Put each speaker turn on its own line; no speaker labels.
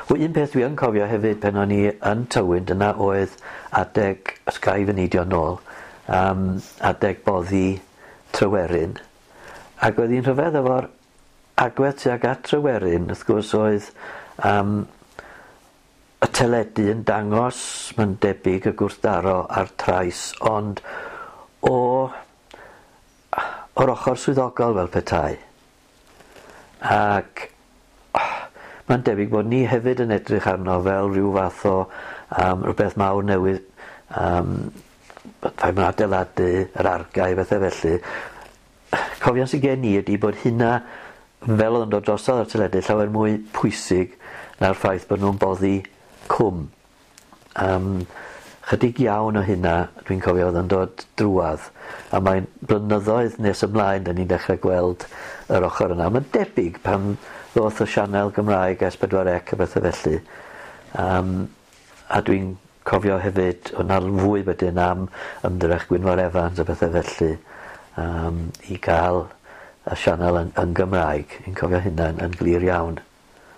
Wel, un peth dwi yn cofio hefyd pan o'n i yn Tywyn, dyna oedd adeg, os ga i fy neidio nôl, adeg boddi Tryweryn. Ac oedd hi'n rhyfedd efo'r agwedd tuag at Tryweryn, wrth gwrs oedd y teledu yn dangos, mae'n debyg, y gwrthdaro a'r trais, ond o'r ochr swyddogol fel petai. Ac mae'n debyg bod ni hefyd yn edrych arno fel rhyw fath o rhywbeth mawr newydd, pan mae'n adeiladu yr argae, bethau felly. Cofion sydd gen i ydy bod hynna, fel oedd yn dod drosodd ar teledu, llawer mwy pwysig na'r ffaith bod nhw'n boddi cwm. Chydig iawn o hynna dwi'n cofio oedd yn dod drwadd, a mae'n blynyddoedd nes ymlaen da ni'n dechrau gweld yr ochr yna. Mae'n debyg pan ddoth y sianel Gymraeg S4C a bethau felly. A dwi'n cofio hefyd, o'na fwy wedyn am ymdrech Gwynfor Evans a bethau felly i gael y sianel yn Gymraeg. Dwi'n cofio hynna yn glir iawn.